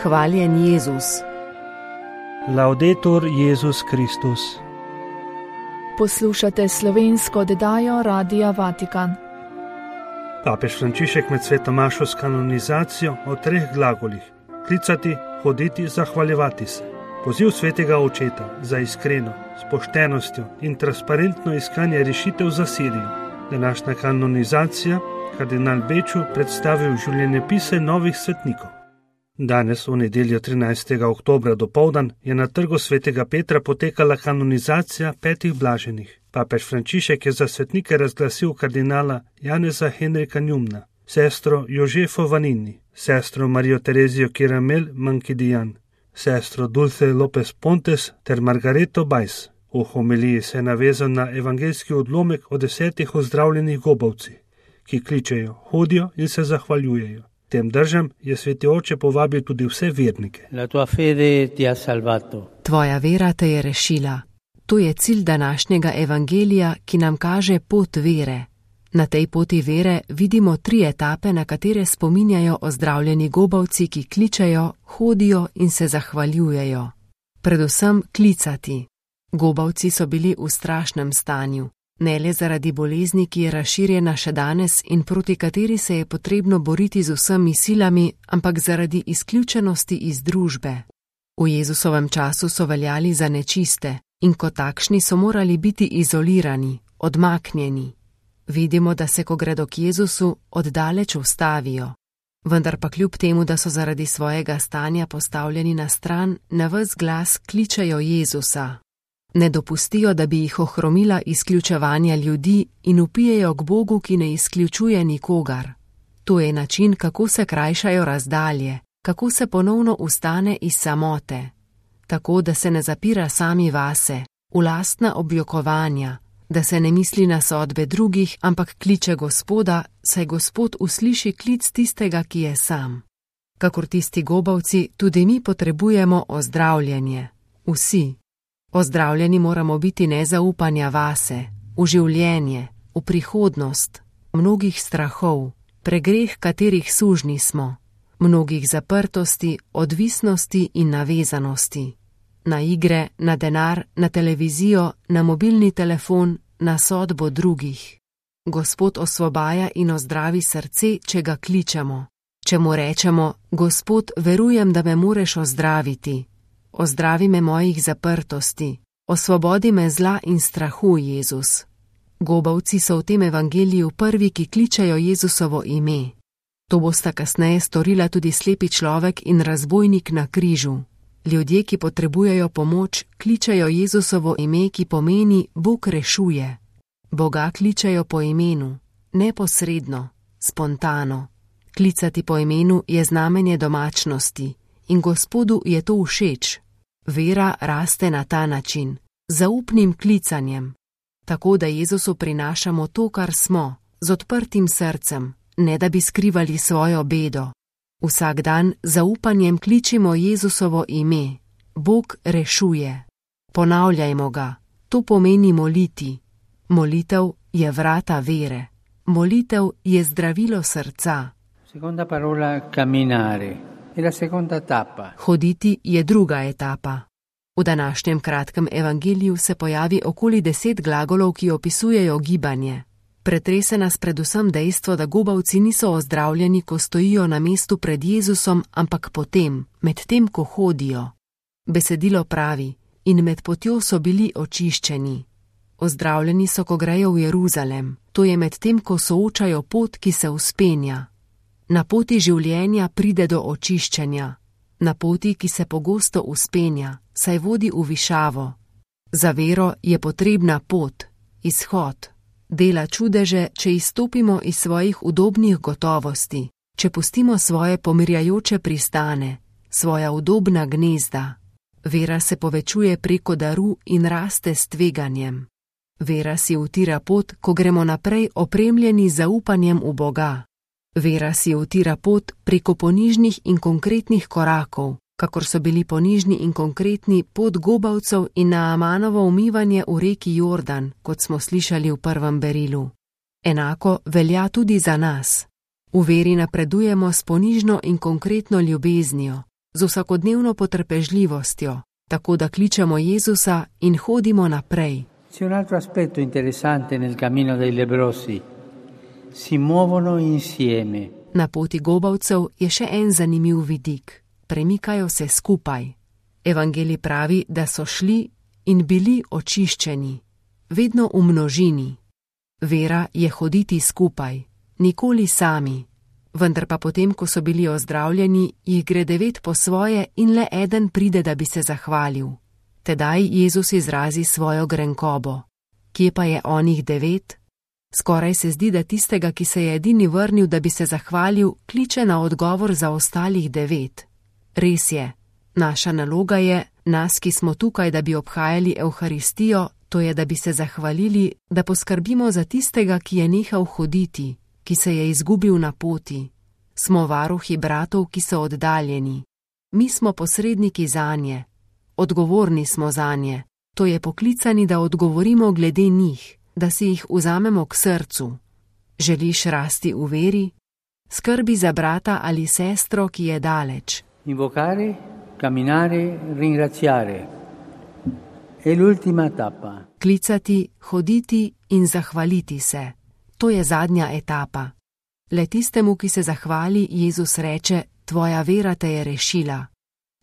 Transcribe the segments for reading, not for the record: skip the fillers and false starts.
Hvaljen Jezus. Laudetur Jezus Kristus. Poslušate slovensko oddajo Radia Vatikan. Papež Frančišek med sveto mašo s kanonizacijo o 3 glagolih: klicati, hoditi, zahvaljevati se. Poziv svetega očeta za iskreno, s poštenostjo in transparentno iskanje rešitev za Sirijo. Današnja kanonizacija kardinal Beču predstavil življenjepise novih svetnikov. Danes, v nedeljo 13. oktobra dopoldan, je na trgu svetega Petra potekala kanonizacija 5 blaženih. Papež Frančišek je za svetnike razglasil kardinala Janeza Henrika Njumna, sestro Jožefo Vanini, sestro Marijo Terezijo Kiramel Mankidijan, sestro Dulce Lopez Pontes ter Margareto Bajs. V homiliji se je navezal na evangeljski odlomek o 10 ozdravljenih gobavcih, ki kličejo, hodijo in se zahvaljujejo. Tem držam je sveti oče povabil tudi vse vernike. La tua fede ti ha salvato. Tvoja vera te je rešila. To je cilj današnjega evangelija, ki nam kaže pot vere. Na tej poti vere vidimo 3 etape, na katere spominjajo ozdravljeni gobavci, ki kličejo, hodijo in se zahvaljujejo. Predvsem klicati. Gobavci so bili v strašnem stanju. Ne le zaradi bolezni, ki je razširjena še danes in proti kateri se je potrebno boriti z vsemi silami, ampak zaradi izključenosti iz družbe. V Jezusovem času so veljali za nečiste in kot takšni so morali biti izolirani, odmaknjeni. Vidimo, da se, ko gredo k Jezusu, oddaleč ustavijo. Vendar pa kljub temu, da so zaradi svojega stanja postavljeni na stran, na ves glas kličejo Jezusa. Ne dopustijo, da bi jih ohromila izključevanja ljudi in vpijejo k Bogu, ki ne izključuje nikogar. To je način, kako se krajšajo razdalje, kako se ponovno vstane iz samote. Tako, da se ne zapira sami vase, v lastna objokovanja, da se ne misli na sodbe drugih, ampak kliče Gospoda, saj Gospod usliši klic tistega, ki je sam. Kakor tisti gobavci, tudi mi potrebujemo ozdravljenje. Vsi. Ozdravljeni moramo biti nezaupanja vase, v življenje, v prihodnost, mnogih strahov, pregreh katerih sužni smo, mnogih zaprtosti, odvisnosti in navezanosti. Na igre, na denar, na televizijo, na mobilni telefon, na sodbo drugih. Gospod osvobaja in ozdravi srce, če ga kličemo. Če mu rečemo, Gospod, verujem, da me moreš ozdraviti. Ozdravi me mojih zaprtosti, osvobodi me zla in strahu, Jezus. Gobavci so v tem evangeliju prvi, ki kličejo Jezusovo ime. To bosta kasneje storila tudi slepi človek in razbojnik na križu. Ljudje, ki potrebujejo pomoč, kličejo Jezusovo ime, ki pomeni Bog rešuje. Boga kličejo po imenu, neposredno, spontano. Klicati po imenu je znamenje domačnosti in Gospodu je to všeč. Vera raste na ta način, zaupnim klicanjem, tako da Jezusu prinašamo to, kar smo, z odprtim srcem, ne da bi skrivali svojo bedo. Vsak dan zaupanjem kličimo Jezusovo ime, Bog rešuje. Ponavljajmo ga, to pomeni moliti. Molitev je vrata vere, molitev je zdravilo srca. Seconda parola, camminare. E la seconda tappa. Hoditi je druga etapa. V današnjem kratkem evangeliju se pojavi okoli 10 glagolov, ki opisujejo gibanje. Pretrese nas predvsem dejstvo, da gobavci niso ozdravljeni, ko stojijo na mestu pred Jezusom, ampak potem, medtem ko hodijo. Besedilo pravi, in med potjo so bili očiščeni. Ozdravljeni so, ko grejo v Jeruzalem, to je medtem, ko soočajo pot, ki se vzpenja. Na poti življenja pride do očiščenja, na poti, ki se pogosto vzpenja, saj vodi v višavo. Za vero je potrebna pot, izhod. Dela čudeže, če izstopimo iz svojih udobnih gotovosti, če pustimo svoje pomirjajoče pristane, svoja udobna gnezda. Vera se povečuje preko daru in raste s tveganjem. Vera si utira pot, ko gremo naprej opremljeni z zaupanjem v Boga. Vera si utira pot preko ponižnih in konkretnih korakov, kakor so bili ponižni in konkretni pot gobavcev in Naamanovo umivanje v reki Jordan, kot smo slišali v prvem berilu. Enako velja tudi za nas. V veri napredujemo s ponižno in konkretno ljubeznijo, z vsakodnevno potrpežljivostjo, tako da kličemo Jezusa in hodimo naprej. C'è un altro aspetto interessante nel cammino dei leprosi. Si muovono insieme. Na poti gobavcev je še en zanimiv vidik. Premikajo se skupaj. Evangelij pravi, da so šli in bili očiščeni, vedno v množini. Vera je hoditi skupaj, nikoli sami. Vendar pa potem, ko so bili ozdravljeni, jih gre 9 po svoje in le eden pride, da bi se zahvalil. Tedaj Jezus izrazi svojo grenkobo. Kje pa je onih 9? Skoraj se zdi, da tistega, ki se je edini vrnil, da bi se zahvalil, kliče na odgovor za ostalih 9. Res je, naša naloga je, nas, ki smo tukaj, da bi obhajali Evharistijo, to je, da bi se zahvalili, da poskrbimo za tistega, ki je nehal hoditi, ki se je izgubil na poti. Smo varuhi bratov, ki so oddaljeni. Mi smo posredniki zanje. Odgovorni smo zanje. To je poklicani, da odgovorimo glede njih, da si jih vzamemo k srcu. Želiš rasti v veri? Skrbi za brata ali sestro, ki je daleč. Invocare, camminare, ringraziare. È l'ultima tappa. Klicati, hoditi in zahvaliti se. To je zadnja etapa. Le tistemu, ki se zahvali, Jezus reče, tvoja vera te je rešila.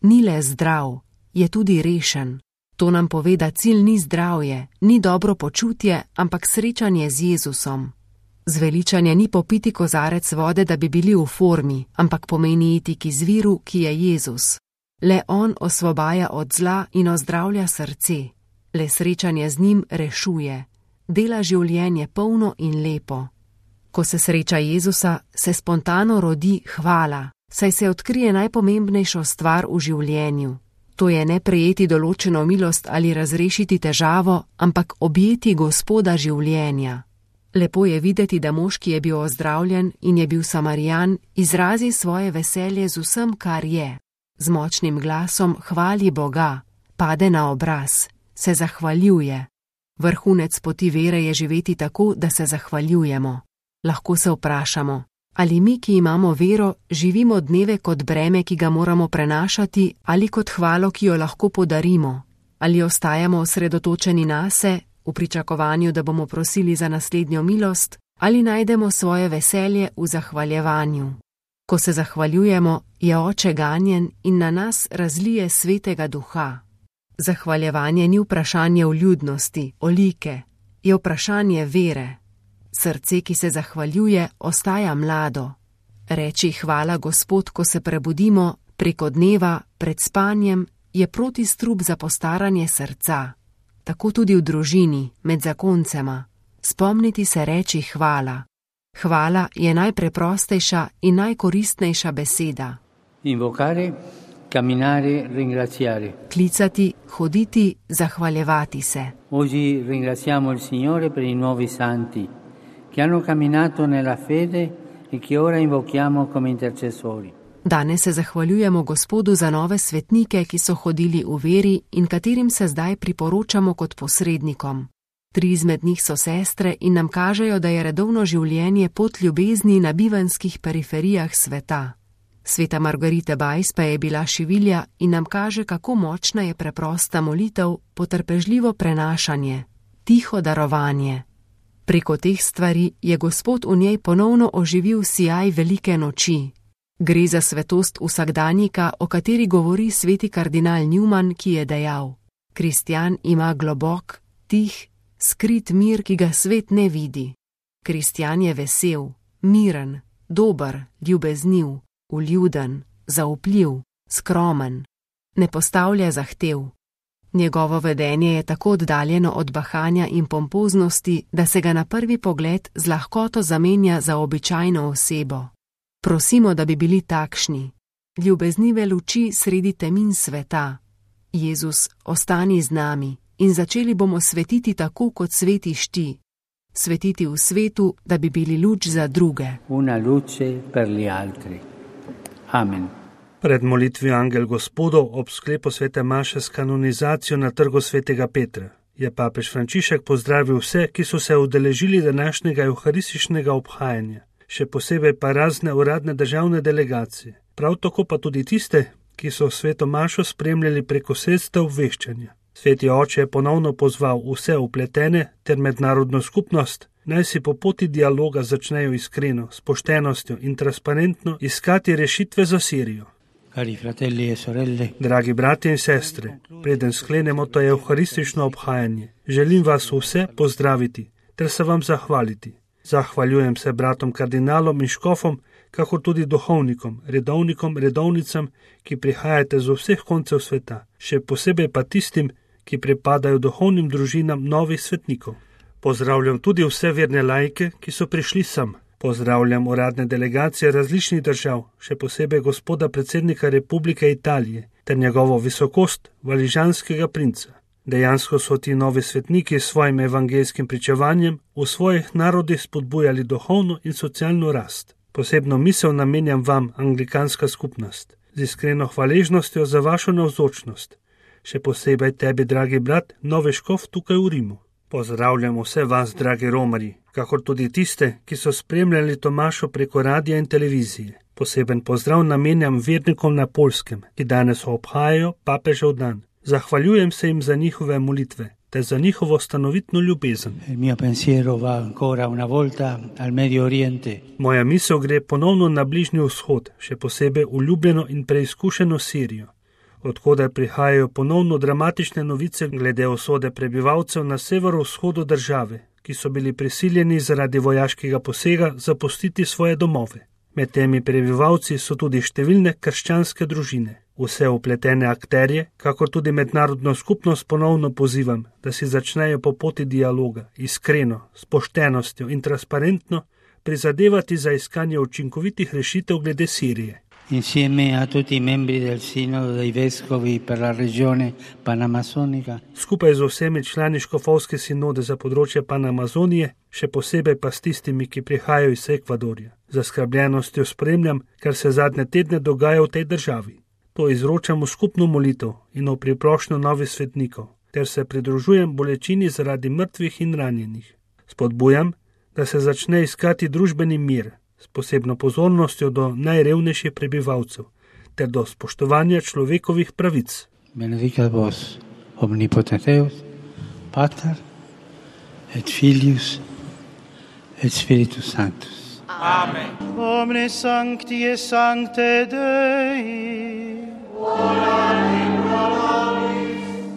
Ni le zdrav, je tudi rešen. To nam pove, da cilj ni zdravje, ni dobro počutje, ampak srečanje z Jezusom. Zveličanje ni popiti kozarec vode, da bi bili v formi, ampak pomeni iti k izviru, ki je Jezus. Le on osvobaja od zla in ozdravlja srce. Le srečanje z njim rešuje. Dela življenje polno in lepo. Ko se sreča Jezusa, se spontano rodi hvala, saj se odkrije najpomembnejšo stvar v življenju. To je ne prejeti določeno milost ali razrešiti težavo, ampak objeti Gospoda življenja. Lepo je videti, da mož, ki je bil ozdravljen in je bil Samarijan, izrazi svoje veselje z vsem, kar je. Z močnim glasom hvali Boga, pade na obraz, se zahvaljuje. Vrhunec poti vere je živeti tako, da se zahvaljujemo. Lahko se vprašamo, ali mi, ki imamo vero, živimo dneve kot breme, ki ga moramo prenašati, ali kot hvalo, ki jo lahko podarimo, ali ostajamo osredotočeni nase, v pričakovanju, da bomo prosili za naslednjo milost, ali najdemo svoje veselje v zahvaljevanju. Ko se zahvaljujemo, je Oče ganjen in na nas razlije svetega duha. Zahvaljevanje ni vprašanje vljudnosti, olike, je vprašanje vere. Srce, ki se zahvaljuje, ostaja mlado. Reči hvala Gospod, ko se prebudimo, preko dneva, pred spanjem, je protistrup za postaranje srca. Tako tudi v družini, med zakoncema. Spomniti se reči hvala. Hvala je najpreprostejša in najkoristnejša beseda. Invocare, camminare, ringraziare. Klicati, hoditi, zahvaljevati se. Oggi ringraziamo il Signore per i nuovi santi che hanno camminato nella fede e che ora invochiamo come intercessori. Danes se zahvaljujemo Gospodu za nove svetnike, ki so hodili v veri in katerim se zdaj priporočamo kot posrednikom. 3 izmed njih so sestre in nam kažejo, da je redovno življenje pot ljubezni na bivanskih periferijah sveta. Sveta Margarita Bajs pa je bila šivilja in nam kaže, kako močna je preprosta molitev, potrpežljivo prenašanje, tiho darovanje. Preko teh stvari je Gospod v njej ponovno oživil sijaj velike noči. Gre za svetost vsakdanjika, o kateri govori sveti kardinal Newman, ki je dejal: Kristjan ima globok, tih, skrit mir, ki ga svet ne vidi. Kristjan je vesel, miren, dober, ljubezniv, vljuden, zaupljiv, skromen. Ne postavlja zahtev. Njegovo vedenje je tako oddaljeno od bahanja in pompoznosti, da se ga na prvi pogled z lahkoto zamenja za običajno osebo. Prosimo, da bi bili takšni. Ljubeznive luči sredi temin sveta. Jezus, ostani z nami in začeli bomo svetiti tako, kot svetiš ti. Svetiti v svetu, da bi bili luč za druge. Una luce per gli altri. Amen. Pred molitvijo Angel Gospodov ob sklepu svete maše s kanonizacijo na trgu svetega Petra je papež Frančišek pozdravil vse, ki so se udeležili današnjega evharističnega obhajanja, še posebej pa razne uradne državne delegacije. Prav tako pa tudi tiste, ki so sveto mašo spremljali preko sredstev obveščanja. Sveti oče je ponovno pozval vse vpletene ter mednarodno skupnost, naj si po poti dialoga začnejo iskreno, s poštenostjo in transparentno iskati rešitve za Sirijo. Cari fratelli e sorelle, Dragi bratje in sestre, preden sklenemo to evharistično obhajanje, želim vas vse pozdraviti ter se vam zahvaliti. Zahvaljujem se bratom kardinalom in škofom, kakor tudi duhovnikom, redovnicam, ki prihajate z vseh koncev sveta, še posebej pa tistim, ki pripadajo duhovnim družinam novih svetnikov. Pozdravljam tudi vse verne laike, ki so prišli sem. Pozdravljam uradne delegacije različnih držav, še posebej gospoda predsednika Republike Italije ter njegovo visokost valižanskega princa. Dejansko so ti novi svetniki s svojim evangeljskim pričevanjem v svojih narodih spodbujali duhovno in socialno rast. Posebno misel namenjam vam, anglikanska skupnost, z iskreno hvaležnostjo za vašo navzočnost. Še posebej tebi, dragi brat, novi škof tukaj v Rimu. Pozdravljam vse vas, dragi romarji, kakor tudi tiste, ki so spremljali Tomašo preko radija in televizije. Poseben pozdrav namenjam vernikom na Poljskem, ki danes obhajajo papežev dan. Zahvaljujem se jim za njihove molitve ter za njihovo stanovitno ljubezen. Moja misel gre ponovno na Bližnji vzhod, še posebej v ljubljeno in preizkušeno Sirijo, odkudar prihajajo ponovno dramatične novice glede usode prebivalcev na severovzhodu države, ki so bili prisiljeni zaradi vojaškega posega zapustiti svoje domove. Med temi prebivalci so tudi številne krščanske družine. Vse vpletene akterje, kakor tudi mednarodno skupnost ponovno pozivam, da si začnejo po poti dialoga, iskreno, s poštenostjo in transparentno prizadevati za iskanje učinkovitih rešitev glede Sirije. Insieme a tutti i membri del Sinodo dei Vescovi per la regione panamazonica. Skupaj z vsemi člani škofovske sinode za področje Panamazonije, še posebej pa s tistimi, ki prihajajo iz Ekvadorja. Zaskrbljenostjo spremljam, kar se zadnje tedne dogaja v tej državi. To izročam v skupno molitev in v priprošnjo novih svetnikov, ter se pridružujem bolečini zaradi mrtvih in ranjenih. Spodbujam, da se začne iskati družbeni mir, s posebno pozornostjo do najrevnejših prebivalcev, ter do spoštovanja človekovih pravic. Benedicat vos, omnipotens Deus, Pater, et Filius, et Spiritus Sanctus. Amen. Omnes sancti et sancte Dei.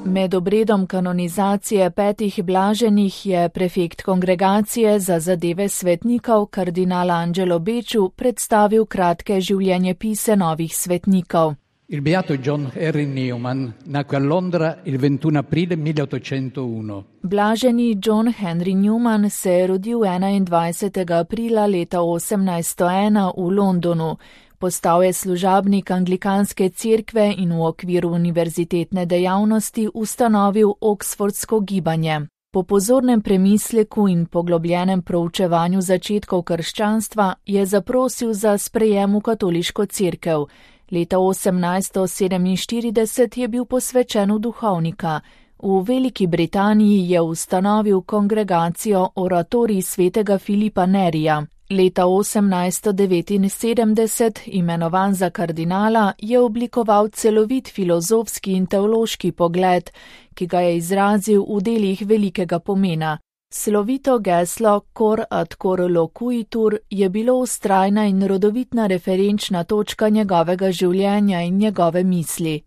Med obredom kanonizacije 5 blaženih je prefekt kongregacije za zadeve svetnikov kardinal Angelo Becciu predstavil kratke življenjepise novih svetnikov. Il beato John Henry Newman nacque a Londra il 21 aprile 1801. Blaženi John Henry Newman se je rodil 21. aprila leta 1801 v Londonu. Postal je služabnik anglikanske cerkve in v okviru univerzitetne dejavnosti ustanovil Oxfordsko gibanje. Po pozornem premisleku in poglobljenem proučevanju začetkov krščanstva je zaprosil za sprejem v katoliško cerkev. Leta 1847 je bil posvečen v duhovnika. V Veliki Britaniji je ustanovil kongregacijo Oratorij svetega Filipa Nerija. Leta 1879, imenovan za kardinala, je oblikoval celovit filozofski in teološki pogled, ki ga je izrazil v delih velikega pomena. Slovito geslo Cor ad cor loquitur je bilo vztrajna in rodovitna referenčna točka njegovega življenja in njegove misli.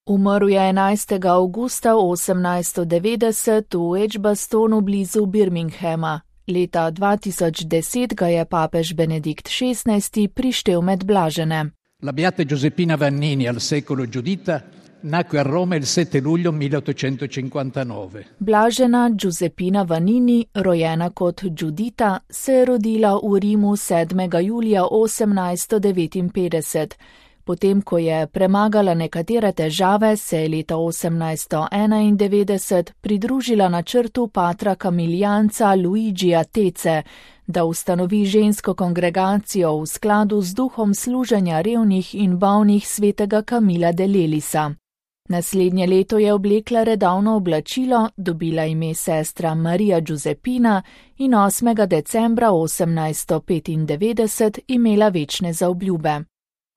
Umrl je 11. avgusta 1890 v Edgbastonu blizu Birminghama. Leta 2010 ga je papež Benedikt XVI prištel med blažene. La beata Giuseppina Vannini al secolo Giudita nacque a Roma il 7 luglio 1859. Blažena Giuseppina Vannini, rojena kot Giudita, se je rodila v Rimu 7. julija 1859. Potem, ko je premagala nekatere težave, se je leta 1891 pridružila načrtu patra kamilijanca Luigija Tece, da ustanovi žensko kongregacijo v skladu z duhom služenja revnih in bolnih svetega Kamila de Lelisa. Naslednje leto je oblekla redovno oblačilo, dobila ime sestra Marija Giuseppina in 8. decembra 1895 imela večne zaobljube.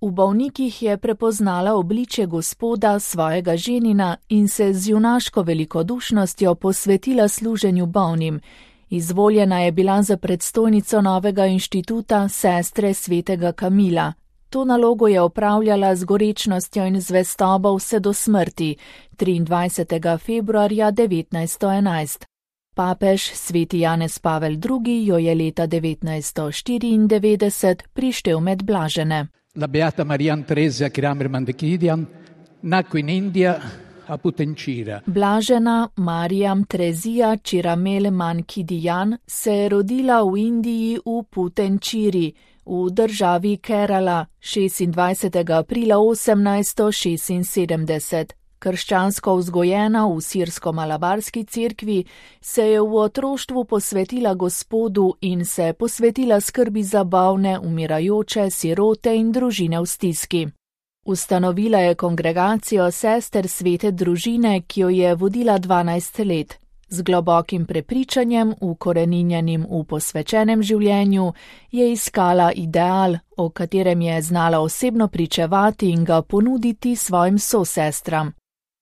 V bolnikih je prepoznala obličje Gospoda, svojega ženina, in se z junaško velikodušnostjo posvetila služenju bolnim. Izvoljena je bila za predstojnico novega inštituta sestre svetega Kamila. To nalogo je opravljala z gorečnostjo in zvestobo vse do smrti, 23. februarja 1911. Papež sveti Janez Pavel II. Jo je leta 1994 prištel med blažene. La beata Mariam Theresia Kramer-Mandekidian nacque in India a Putencira. Blažena Mariam Trezija Chiramel-Mankidian se je rodila v Indiji v Putenčiri, v državi Kerala, 26. aprila 1876. Krščansko vzgojena v sirsko-malabarski cerkvi, se je v otroštvu posvetila Gospodu in se posvetila skrbi za bolne, umirajoče, sirote in družine v stiski. Ustanovila je kongregacijo sester svete družine, ki jo je vodila 12 let. Z globokim prepričanjem, ukoreninjenim v posvečenem življenju, je iskala ideal, o katerem je znala osebno pričevati in ga ponuditi svojim sosestram.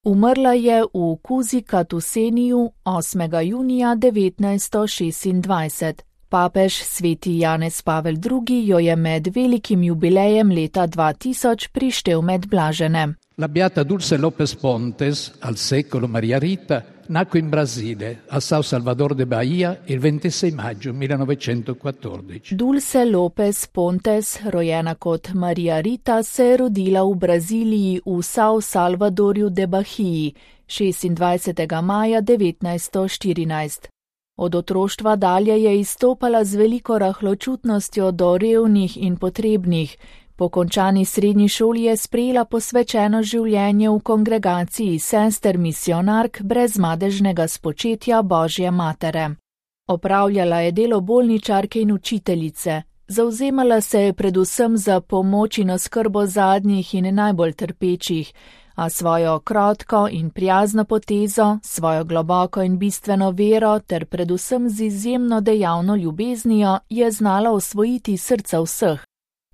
Umrla je v Kuzikatuseniju 8. junija 1926. Papež sveti Janez Pavel II. Jo je med velikim jubilejem leta 2000 prištel med blažene. La beata Dulce Lopez Pontes, al secolo Maria Rita, nacque in Brasile, a São Salvador de Bahia, il 26 maggio 1914. Dulce Lopez Pontes, rojena kot Maria Rita, se je rodila v Braziliji v São Salvadorju de Bahiji, 26. maja 1914. Od otroštva dalje je izstopala z veliko rahločutnostjo do revnih in potrebnih. Po končani srednji šoli je sprejela posvečeno življenje v kongregaciji sester misionark brez madežnega spočetja Božje matere. Opravljala je delo bolničarke in učiteljice. Zavzemala se je predvsem za pomoč in oskrbo zadnjih in najbolj trpečih, a svojo krotko in prijazno potezo, svojo globoko in bistveno vero ter predvsem z izjemno dejavno ljubeznijo je znala osvojiti srca vseh.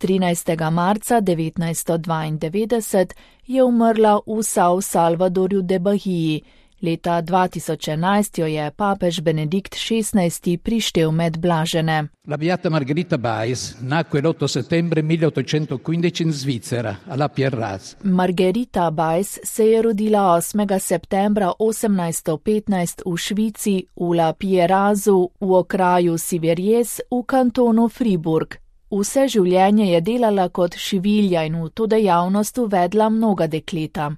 13. marca 1992 je umrla v São Salvadorju de Bahiji. Leta 2011 jo je papež Benedikt XVI. Prištel med blažene. La beata Margherita Bais nacque l'8 settembre 1815 in Svizzera, a La Pierraz. Margherita Bais se je rodila 8. septembra 1815 v Švici, v La Pierazu, v okraju Siveriez, v kantonu Friburg. Vse življenje je delala kot šivilja in v to dejavnost uvedla mnoga dekleta.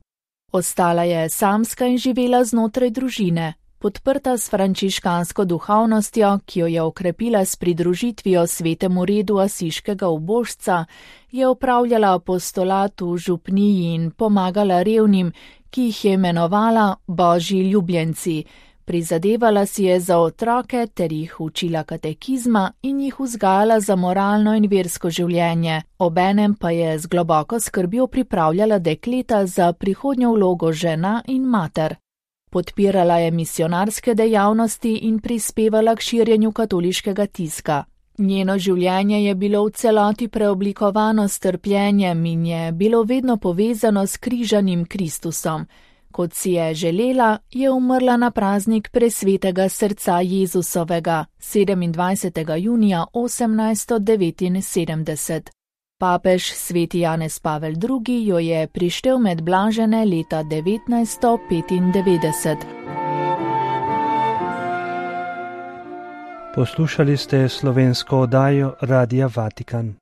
Ostala je samska in živela znotraj družine, podprta s frančiškansko duhovnostjo, ki jo je okrepila s pridružitvijo svetemu redu asiškega ubožca, je opravljala apostolat v župniji in pomagala revnim, ki jih je imenovala Božji ljubljenci. Prizadevala si je za otroke ter jih učila katekizma in jih vzgajala za moralno in versko življenje, obenem pa je z globoko skrbjo pripravljala dekleta za prihodnjo vlogo žena in mater. Podpirala je misionarske dejavnosti in prispevala k širjenju katoliškega tiska. Njeno življenje je bilo v celoti preoblikovano s trpljenjem in je bilo vedno povezano s križanim Kristusom. Kot si je želela, je umrla na praznik presvetega srca Jezusovega, 27. junija 1879. Papež sveti Janez Pavel II. Jo je prištel med blažene leta 1995. Poslušali ste slovensko oddajo Radia Vatikan.